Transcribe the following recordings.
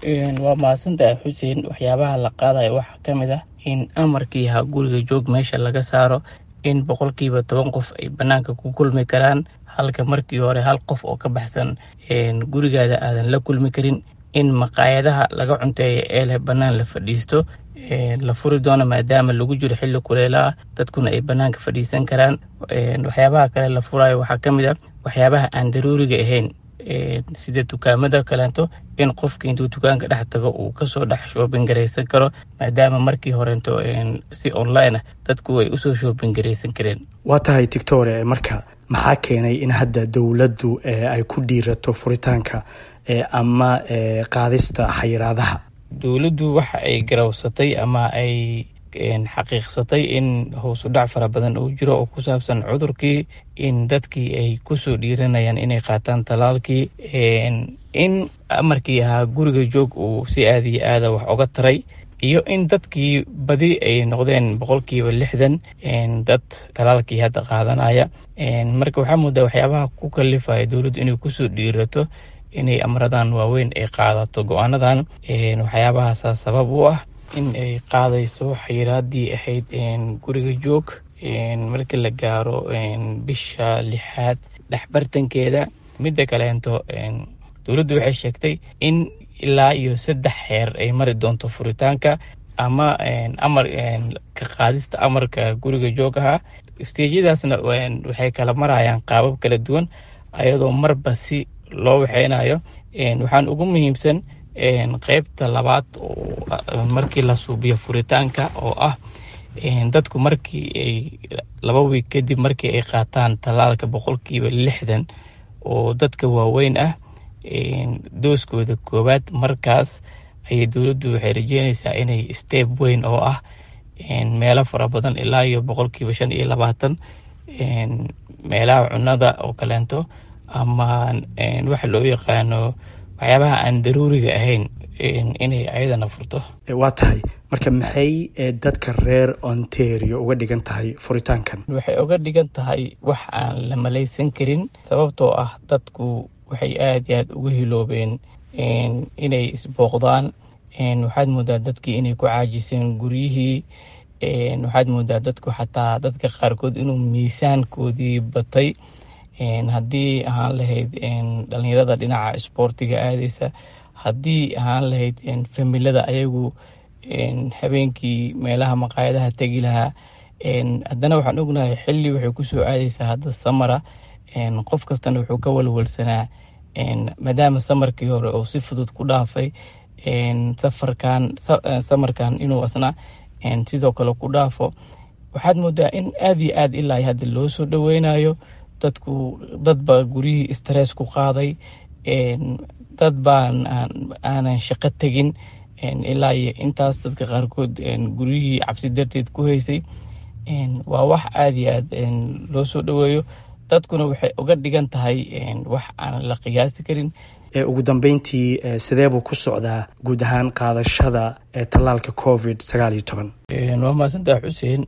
Waa mahadsantahay, Xuseen. Waxyaabaha la qaadayo waxaa ka mid ah in amarkii ahaa guriga joog meesha laga saaro, in 10% qof ay banaanka ku kulmi karaan, halka markii hore hal qof oo ka baxsan gurigaada aadan la kulmi karin, in maqaayadaha laga cunteeya ee leh bannaan la fadhiisto la furi doono, maadaama lagu jiro xilli kuleela ah, dadkuna ay banaanka fadhiisan karaan. Waxyaabaha kale la furayo waxaa ka mid ah waxyaabaha aan daruuriga ahayn, sida dukaamada kaleento, in qofka intuu dukaanka dhex tago uu kasoo dhex shopping garaysan karo, maadaama markii horeento si online ah dadku ay usoo shopping garaysan kareen. Waa tahay, doctor. Marka maxaa keenay in hadda dowladdu ay ku dhiirato furitaanka ama qaadista xayiraadaha? Dowladdu waxa ay garawsatay ama ay xaqiiqsatay in hoos u dhac fara badan uu jiro oo ku saabsan cudurkii, in dadkii ay kusoo dhiiranayaan inay qaataan talaalkii, in amarkii ahaa guriga joog uu si aada iyo aada wax oga taray, iyo in dadkii badi ay noqdeen 60% dad talaalkii hadda qaadanaya. Marka waxaa moodaa waxyaabaha ku kalifaya dowladdu inay kusoo dhiirato inay amradan waaweyn ay qaadato, go-aanadan, waxyaabahaasa sabab u ah in ay qaadayso xayiraadii ahayd guriga joog marka la gaaro bisha lixaad dhexbartankeeda. Midda kaleento, dowladdu waxay sheegtay in ilaa iyo saddex xeer ay mari doonto furitaanka ama amar ka qaadista amarka guriga joog ahaa. Stageyadaasna waxay kala marayaan qaabab kala duwan, ayadoo marba si loo waxeynayo. Waxaan ugu muhiimsan qeybta labaad oo markii la suubiyo furitaanka, oo ah dadku markii ay 2 week kadib markii ay qaataan tallaalka, 60% oo dadka waaweyn ah dooskooda koowaad, markaas ayay dowladdu waxay rajeynaysaa inay step weyn oo ah meelo fara badan, ilaa iyo 25% meelaha cunada oo kaleento ama waxa loo yaqaano waxyaabaha aan daruuriga ahayn, inay ayadana furto. Waa tahay. Marka maxay dadka reer Ontario uga dhigan tahay furitaankan? Waxay uga dhigan tahay wax aan la malaysan karin, sababtoo ah dadku waxay aada iyo aada uga hiloobeen inay isbooqdaan. Waxaad moodaa dadkii inay ku caajiseen guryihii. Waxaad moodaa dadku, xataa dadka qaarkood, inuu miisaankoodii batay, haddii ahaan lahayd dhalinyarada dhinaca isboortiga aadeysa, haddii ahaan lahayd familada ayagu habeenkii meelaha maqaayadaha tegi lahaa. Haddana waxaan ognahay xilli waxay kusoo aadeysaa hadda summer ah. Qof kastana wuxuu ka walwalsanaa, maadaama summerkii hore oo si fudud ku dhaafay, safarkan summerkan inuu asna sidoo kale ku dhaafo. Waxaad moodaa in aada iyo aad ilaa hadda loo soo dhaweynayo dadku. Dad baa guryihii stress ku qaaday, dad baan aanan shaqo tegin ilaa iyo intaas, dadka qaarkood guryihii cabsi darteed ku haysay. Waa wax aada iyo aad loo soo dhaweeyo, dadkuna waxay uga dhigan tahay wax aan la qiyaasi karin. Ugu dambeyntii, sidee buu ku socdaa guud ahaan qaadashada tallaalka COVID-19? Waa mahadsantaha, Xuseen.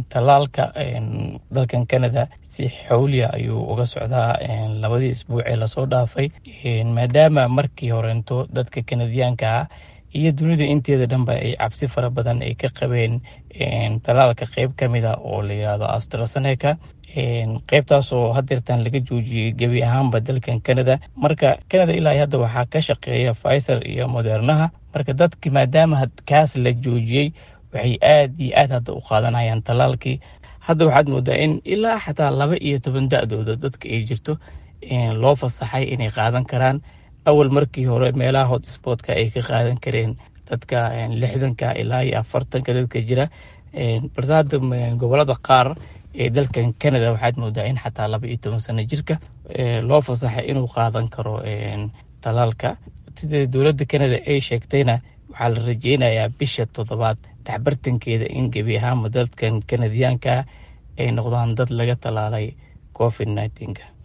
Tallaalka dalkan Canada si xawliya ayuu uga socdaa labadii isbuuc ee lasoo dhaafay, maadaama markii horeento dadka Kanadiyaanka ah iyo dunida inteeda dhanba ay cabsi fara badan ay ka qabeen tallaalka qeyb ka mid a oo la yiraahdo AstraZeneca, qeybtaasoo hadeertan laga joojiyey gebi ahaanba dalkan Canada. Marka Canada ilaa hadda waxaa ka shaqeeya Pfizer iyo Modernaha. Marka dadki maadaama kaas la joojiyey, waxay aad iyo aad hadda u qaadanayaan tallaalkii. Hadda waxaad moodaa in ilaa xataa 12 da-dooda dadka ay jirto loo fasaxay inay qaadan karaan. Awal markii hore meelaha hotspotka ay ka qaadan kareen dadka 60ka ilaa iyo 40ka dadka jira, balse hadda gobolada qaar ee dalkan Canada waxaad moodaa in xataa 12 sano jirka loo fasaxay inuu qaadan karo tallaalka. Sida dowladda Canada ay sheegtayna, waxaa la rajeynayaa bisha toddobaad dhexbartankeeda in gebi ahaanba dadkan Kanadiyaanka ay noqdaan dad laga tallaalay COVID-19-ka.